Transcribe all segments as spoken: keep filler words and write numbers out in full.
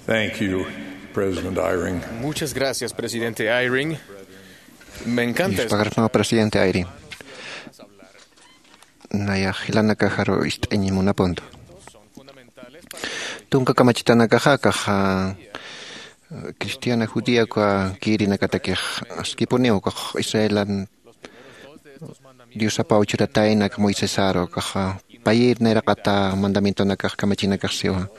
Thank you, President Eyring. Muchas gracias, presidente Eyring. Me encanta es- Yuspagarpama presidente Eyring. Naya jilanakajaru ist'añimunapuntu. Tunka kamachitanakaxa kaxa cristiana judía kwa kirinakatakix askipuniw kax israelan diosapaw churataynak moisesaru kaxa payir nayraqata mandamientonakax kamachinakax siwa.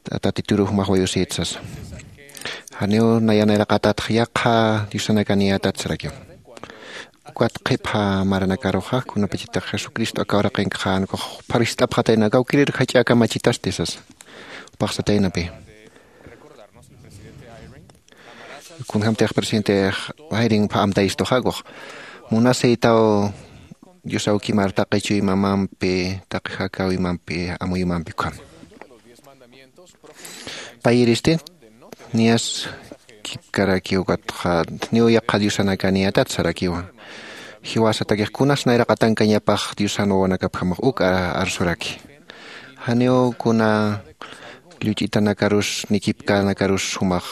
Tatituru jumax wayusït sasa. Janiw naya nayraqatatx yaqha diosanakaniyätat sarakiw. Ukat qhipha maranakaruxa kunapachitax jesucristo aka uraqinkaxa jan ukax pharwist'apxataynakaw kirir jach'a kamachitasti sasa. Upaxsataynapi. Kunjämtix presidente Eyring pha amtayistuxa ukax munasïtaw dios awkimar taqi chuymamampi taqi jakäwimampi amuymampi ukham. Payiristi niyas kipkarakiw ukatxa niw yaqha diosanakaniyätat sarakiwa. Jiwasatakix kunas nayraqatankañapax diosan wawanakapjamax uk arsuraki. Janiw kuna lluch'itanakarus ni kipkanakarus jumax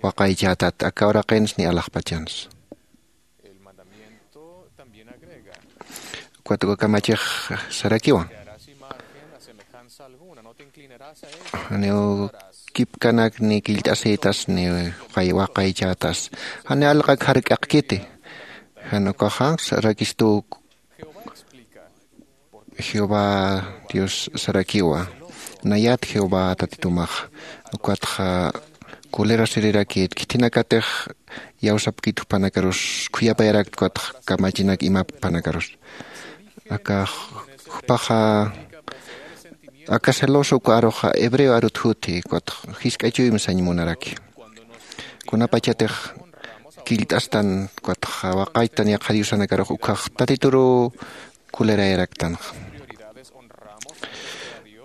waqaychätat aka uraqins ni alaxpachans. Ukat uka kamachix sarakiwa. Janiw kipkanak ni killt'asïtas ni waqaychätas janiw alqak jark'aqkiti. Jan ukaxa sarakistu jehová dios sarakiwa. Nayat jehová tatitumax ukatxa kulera sirirakit khithinakatix iyawsapkit jupanakarus khuyapayarakt ukatxa kamachinak imap jupanakarus. Aka jupaxa aka celoso uka aruxa hebreo arut juthi ukatxa jisk'a chuymi sañ munaraki. Kunapachatix killt'astan ukatxa waqaytan yaqha diosanakarux ukhax tatituru kulerayaraktanxa.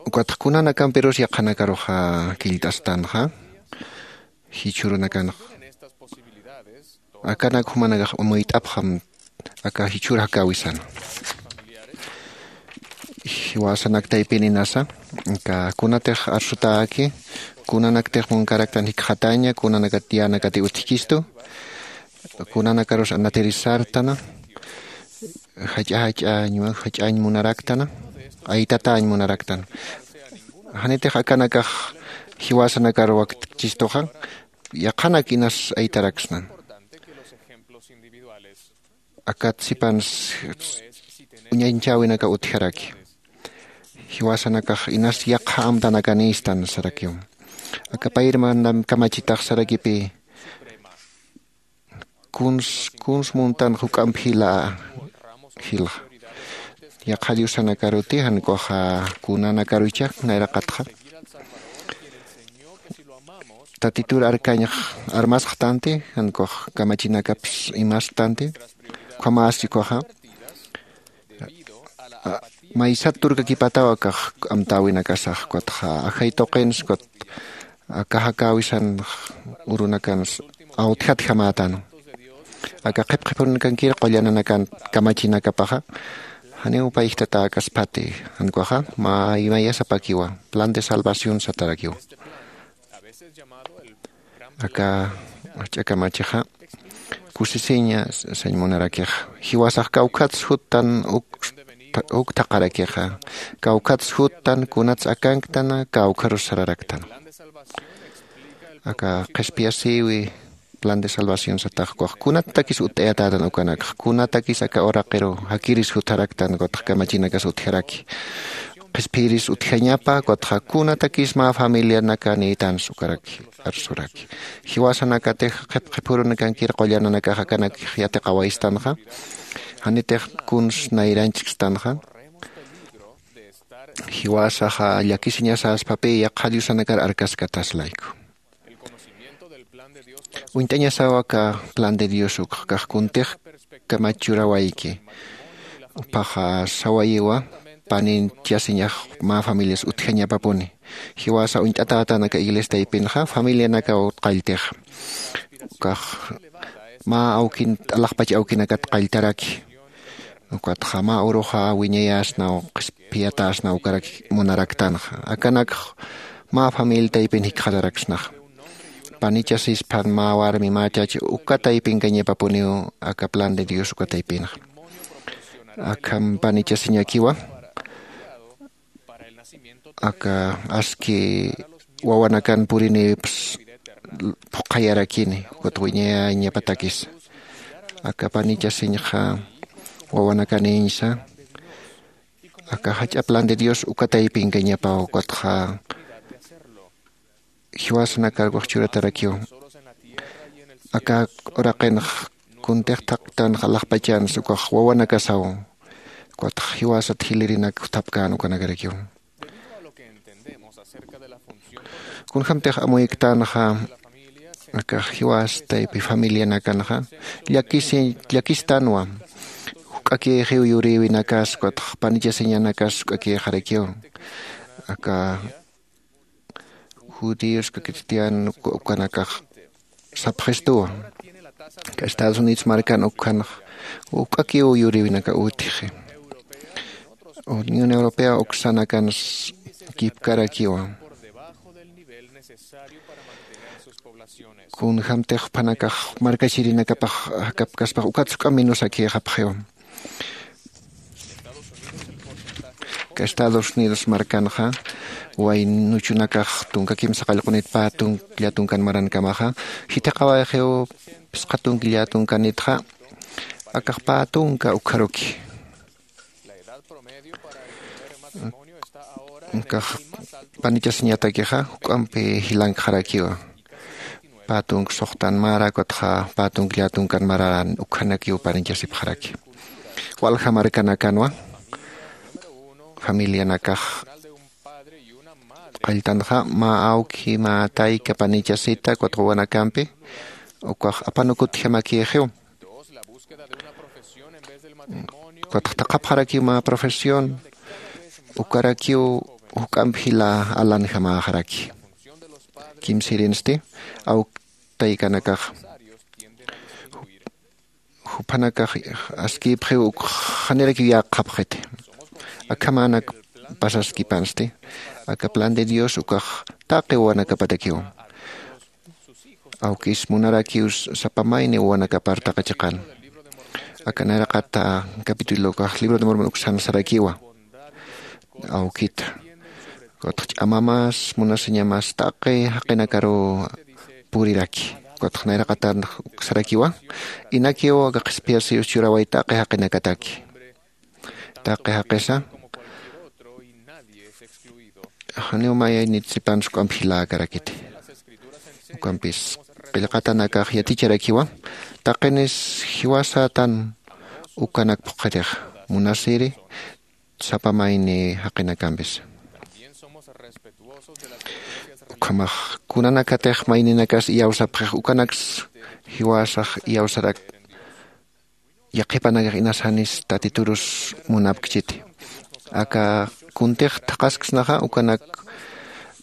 Ukatxa kunanakampirus yaqhanakaruxa killt'astanxa jichhürunakanxa. Akanak jumanakax amuyt'apxam aka jichhür jakäwisan. Jiwasanak taypin inasa aka kunatix arsutäki kunanaktix munkaraktan jikxataña kunanakat yänakati utjkistu. Kunanakarus anatirïsartana jach'a jach'añ jach'añ munaraktana aytatañ munaraktana. Janitix akanakax jiwasanakar waktchistuxa yaqhanak inas aytaraksnan. Akat sipans uñañchäwinaka utjaraki. Jiwasanakax inas yaqha amtanakanïstan sarakiw. Aka payir mandam kamachitax sarakipï kuns kuns muntan juk'amp jila jilxa. Yaqha diosanakaruti jan ukaxa kunanakaruchak nayraqatxa tatitur arkañx armasxtanti jan ukax kamachinakapis imastanti. Ukhamästi ukaxa maysat turkakipataw akax amtäwinakasax ukatxa ajay tuqins ukat aka jakäwisan urunakans awtjatjamätan. Aka qhipqhipurunakankir qullananakan kamachinakapaxa janiw payjtatäkaspati jan ukaxa mä imayasapakiwa plan de salvación satarakiwa. Aka jach'a kamachixa kusisiña sañ munarakixa jiwasax kawkhats juttan uk uk thaqharakixa kawkhats juttan kunats akanktana kawkharus sararaktana. Aka qhispiyasïwi plan de salvación satax ukax kunatakis utt'ayatätan ukanakxa kunatakis aka uraqiru jakiris jutharaktan ukatxa kamachinakas utjaraki. Qhispiyiris utjañapa ukatxa kunatakis mä familianaka niytans ukaraki arsuraki. Jiwasanakatix qhipqhipurunakankir qullananakax akanakix yatiqawaystanxa janitix kuns nayranchkstanxa. Jiwasaxa llakisiñasäspapï yaqha diosanakar arkaskataslayku. Uñt'añasaw aka plan de dios ukxkax kuntix kamach churawayki. Uphaxa sawayiwa paninchasiñax mä familias utjañapapuni. Jiwasa uñt'atätan aka iglesia taypinxa familianakaw qalltixa ukax mä awkin t'alaqpach awkinakat qalltaraki. Ukatxa mä uruxa wiñayäsnaw qhispiyatäsnaw ukarak munaraktanxa akanakx mä familia taypin jikxataraksnaxa. Panichasisphan mä warmi mä chach uka taypinkañapapuniw aka plan de Dios uka taypinxa. Akham panichasiñakiwa aka aski wawanakan puriniwips phuqhayarakini ukat wiñayañapatakis. Aka panichasiñxa wawanakaniñsa aka jach'a plan de Dios uka taypinkañapaw ukatxa jiwasanakar ukax churatarakiw. Aka uraqinx kuntix thaqtanx alaxpachansa ukax wawanakasaw ukatx jiwasat jilirinak juthapkän ukanakarakiw. Kunjämtix amuyktanxa akax jiwas taypi familianakanxa llakisi llakistanwa. Juk'akïxiw yurïwinakas ukatx panichasiñanakas juk'akïxarakiw. Aka judíos cristiano ukanakax sapxistuwa. Aka Estados Unidos markan ukhanx juk'akiw yurïwinaka utjxi. Unión Europea uksanakans kipkarakiwa. Kunjämtix juphanakax markachirinakapax jakapkaspax ukats juk'amp minusakïxapxiwa. Aka Estados Unidos markanxa waynuchunakax tunka kimsa qallqunit pä tunka tunkan marankamaxa jithiqawayxiw phisqa tunka tunkanitxa akax pä tunka ukxaruki. Akax panichasiñatakixa juk'ampi jilankxarakiwa. Pä tunka suxtan mara ukatxa pä tunka tunkan mararan ukhanakiw panichasipxaraki. Walja markanakanwa familianakax qalltanxa mä awki mä tayka panichasita ukat wawanakampi ukax apanukutjamakïxiw. Ukatx thaqhapxarakiw mä profesión ukarakiw juk'amp jila alanjamäxaraki. Kimsirinsti awk taykanakax juphanakax askïpxiw uk janirakiw yäqxapxiti. Akhamänak pasaskipansti aka plan de Dios ukax taqi wawanakapatakiw. Awkis munarakiw sapa mayni wawanakapar taqi chiqan. Aka nayraqata capítulo ukax libro de Mormon uksan sarakiwa. Awkita ukatx ch'amamas munasiñamas taqi jaqinakaruw puriraki. Ukatx nayraqatan sarakiwa. Inakiw aka qhispiyasiyus churaway taqi jaqinakataki. Taqi jaqisa janiw mayaynit sipans juk'amp jiläkarakiti. Ukampis qillqatanakax yaticharakiwa. Taqinis jiwasatan ukanak phuqhirix munasiri sapa mayni jaqinakampis. Ukhamax kunanakatix mayninakas iyawsapxix ukanaks jiwasax iyawsarak yaqhipanakax inasanis tatiturus munapkchiti. Aka kuntix thaqhasksnaxa ukanak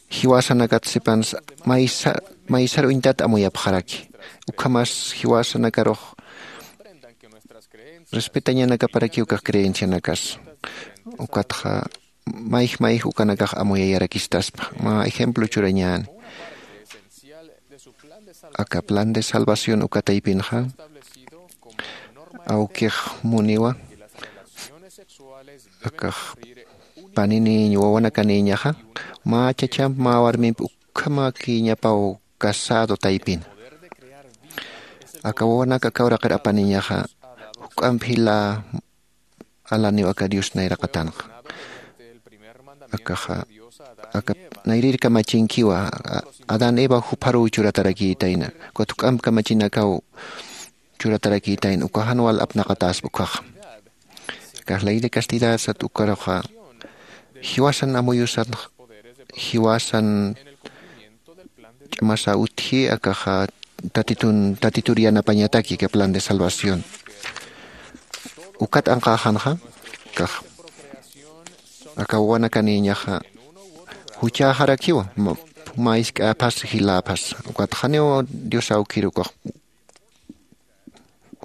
jiwasanakat sipans maysa maysar uñtat amuyapxaraki. Ukhamas jiwasanakarux respetañanakaparakiw ukax creencianakas ukatxa mayj mayj ukanakax amuyayarakistaspa mä ejemplo churañäni. Aka plan de salvación uka taypinxa awkix muniwa akax paniniñ wawanakanïñaxa mä chachamp mä warmimp ukhamäkïñapaw casado taypin. Aka wawanak aka uraqir apaniñaxa juk'amp jila alaniw aka Dios nayraqatanxa. Akaxa aka nayrir kamachinkiwa. Adán Eva jupharuw churatarakïtayna ukat juk'amp kamachinakaw churatarakïtayna uka jan wal apnaqatäspa ukkhaxa. Akax ley de castidad sat ukkaruxa jiwasan amuyusan jiwasan ch'amasa utji akaxa tatitun tatitur yanapañataki aka plan de salvación. Ukat anqäxanxa akax aka wawanakanïñaxa juchäxarakiwa mä isk'äphas jiläphas ukatxaniw dios awkir ukax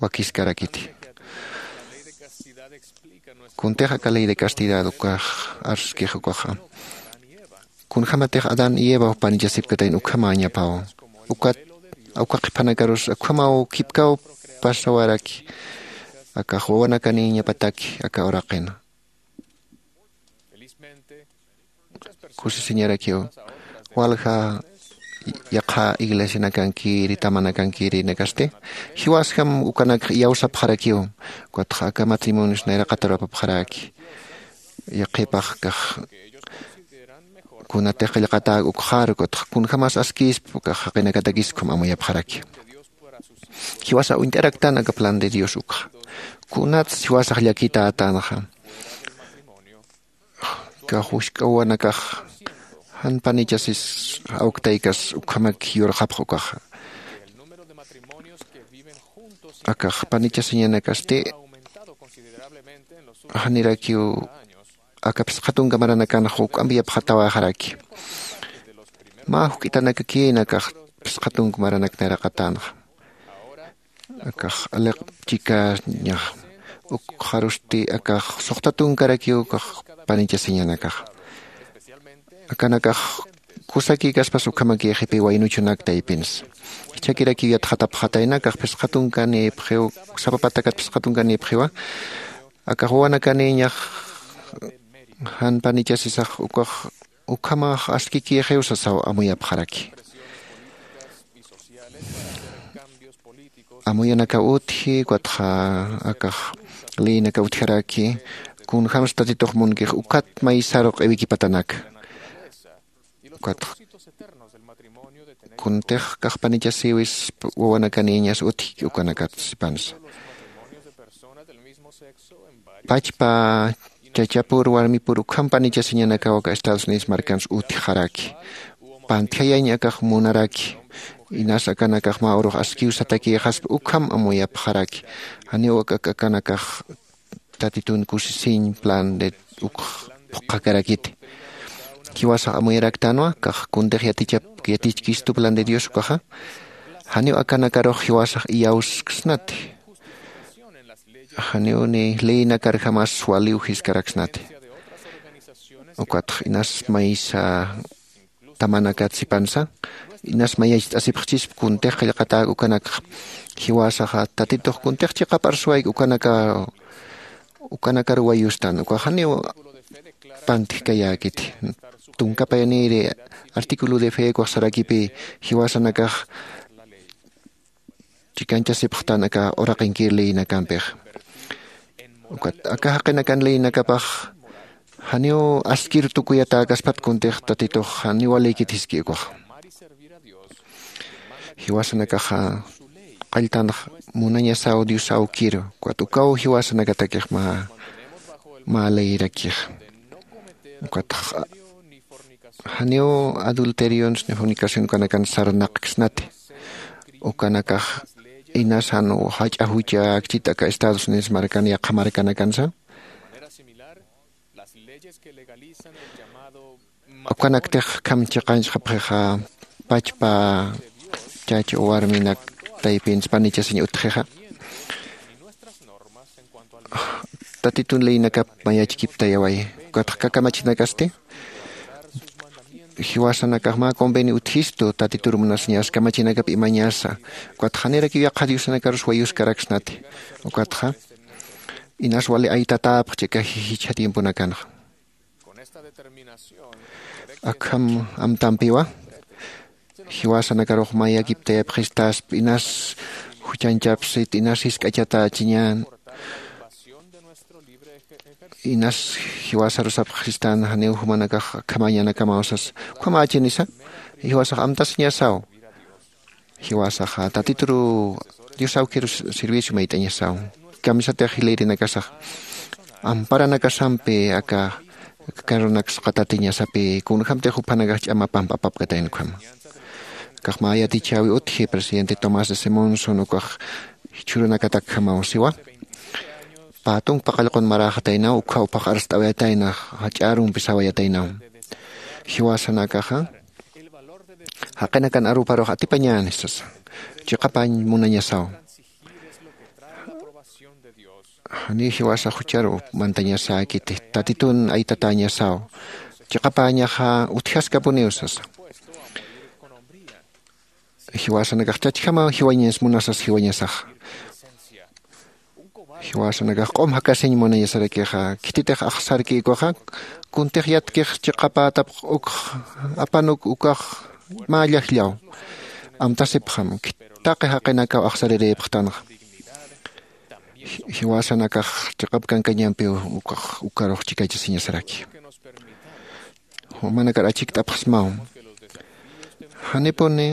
wakiskarakiti. Kuntix aka ley de castidad ukax arskix ukaxa Kunjämatix adán y eva panichasipkatayna ukhamäñapaw. Ukat awka qhipanakarus ukhamaw khipkaw pasawaraki. Akax wawanakaniñapataki aka uraqin kusisiñarakiw. Walja yaqha iglesianakankiri tamanakankiri nakasti jiwasjam ukanakx iyawsapxarakiw. Ukatxa aka matrimonios nayraqatar apapxaraki. Yaqhipax kax kunatix qillqatäk ukxar ukatxa kunjämas askïspa ukax jaqinakatakis ukham amuyapxaraki. Jiwasa uñt'araktan aka plan de dios ukxa. Kunats jiwasax llakitätanxa? Kax wisk'awanakax jan panichasis awktaykas ukhamak yurxapx ukaxa. Akax panichasiñanakasti janirakiw aka phisqa tunka maranakanxa juk'amp yapxatawaxaraki. Mä juk'itanakakïna akax phisqa tunka maranak nayraqatänxa. Akax aliq chikañax ukxarusti akax suxta tunkarakiw akax panichasiñanakax. Akanakax kusakïkaspas ukhamakïxipï waynuchunak taypinsa. Jichhakirakiw yatxatapxatayna akax phisqa tunkanïpxiw sapa patakat phisqa tunkanïpxiwa. Akax wawanakanïñax jan panichasisax ukax ukhamax askikïxiw sasaw amuyapxaraki. Amuyanakaw utji ukatxa akax leyinakaw utjaraki. Kunjämsa tatitux munkix ukat maysaru q'iwikipatanaka. Ukatxa kuntix kax panichasïwis wawanakanïñas utjki ukanakat sipansa. Pachpa chachapur warmipur ukham panichasiñanakaw aka estados unidos markans utjaraki. Pantjayañ akax munaraki. Inas akanakax mä urux askiw satakïxaspa ukham amuyapxaraki. Janiw ak akanakax tatitun kusisiñ plan de ukx phuqhakarakiti. Jiwasax amuyaraktanwa kax kuntix yatichap yatichkistu plan de dios ukaxa. Janiw akanakarux jiwasax iyawsksnati. Janiw ni leynakarjamas waliw jiskaraksnati. Ukatx inas maysa tamanakat sipansa inas mayacht'asipxchisp kuntix qillqatäk ukanakx. Jiwasaxa tatitux kuntix chiqap arsuwayk ukanaka ukanakar wayustan ukax janiw pantjkayäkiti. Tunka payanïri artículo de fe ukax sarakipï jiwasanakax chikanchasipxtan aka uraqinkir leyinakampixa. Ukat aka jaqinakan leyinakapax janiw askir tukuyatäkaspat kuntix tatitux janiw walïkit jiski ukaxa. Jiwasanakaxa qalltanx munañasaw dios awkiru ukat ukaw jiwasanakatakix mä mä leyirakixa. Ukatx janiw adulterions ni fornicación ukanakan sarnaqksnati. Ukanakax inas jan jach'a jucha akchit aka estados unidos markan yaqha markanakansa. Ukanaktix akham chiqanchxapxixa pachpa chach warminak taypinsa panichasiñ utxixa. Tatitun leynakap mayachkiptayaway. Ukatx kakamachinakasti jiwasanakax mä convenio utjistu tatitur munasiñas kamachinakap imañasa. Ukatx janirakiw yaqha diosanakarus wayuskaraksnati. Ukatxa inas wali aytatäpxchi aka jichha tiemponakanxa. Akham amtampiwa jiwasanakarux mayakiptayapxistasp inas juchanchapsit inas jisk'achatächiñän. Inas jiwasarusapxistan janiw jumanakax akhamañanakamaw sas. Ukhamächinisa jiwasax amtasiñasaw. Jiwasaxa tatituru dios awkiru servicio mayt'añasaw. Kamisatix jilïrinakasax amparanakasampi aka karunaksa qatatiñasapï kunjämtix juphanakax ch'ama pampa apapkatayna ukhama. Akax mä yatichäwi utji presidente tomás de simonson ukax jichhürunakatakjamaw siwa. Pä tunka paqallqun maräxataynaw ukkhaw phax arst'awayatayna jach'a arumpi sawayataynaw. Jiwasanakaxa jaqinakan aruparux atipañäni sasa. Chiqapañ munañasaw. Janiw jiwasa jucharu mantañasäkiti tatitun aytatäñasaw. chiqapäñaxa utjaskapuniw sasa. Jiwasanakax chachjamaw jiwañas munasas jiwañasaxa. Jiwasanakax q'um jakasiñ munañasarakixa khititix axsarki ukaxa. Kuntix yatkix chiqapätapx ukx apanuk ukax mä llajllaw amtasipxam. Taqi jaqinakaw axsarirïpxtanxa. Jiwasanakax chiqap kankañampiw ukax ukarux chikachasiñasaraki. Jumanakar achikt'apxsmaw. Janipuni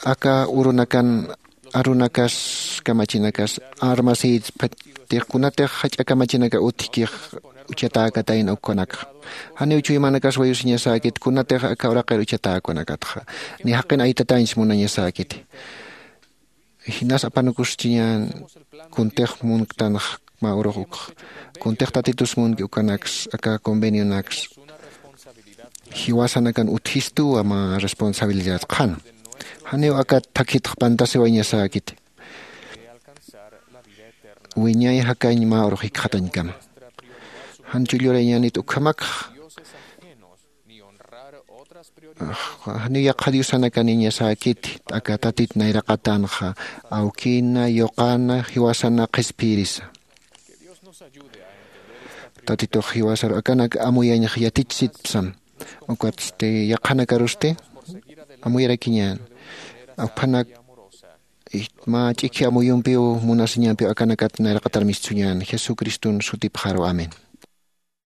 aka urunakan arunakas kamachinakas armasïtpatix kunatix jach'a kamachinaka utjkix uchatäkatayna ukkanakxa. Janiw chuymanakas wayusiñasäkit kunatix aka uraqir uchatäkunakatxa ni jaqin aytatañs munañasäkiti. Jinas apanukuschiñän kuntix munktanx mä urux ukx kuntix tatitus munki ukanaks aka convenionaks jiwasanakan utjistuwa mä responsabilidad qhan. Janiw akat thakitx pantasiwañasäkiti wiñay jakañ mä urux jikxatañkama. Jan chullurañänit ukhamakx janiw yaqha diosanakaniñasäkiti aka tatit nayraqatanxa awkina yuqana jiwasana qhispiyirisa. Tatitux jiwasaru akanak amuyañx yatichsitpsam. Ukatsti yaqhanakarusti amuyarakiñän aphanak mä ch'ikhi amuyumpiw munasiñampiw akanakat nayraqatar mistsuñän jesucriston sutipxaru amén.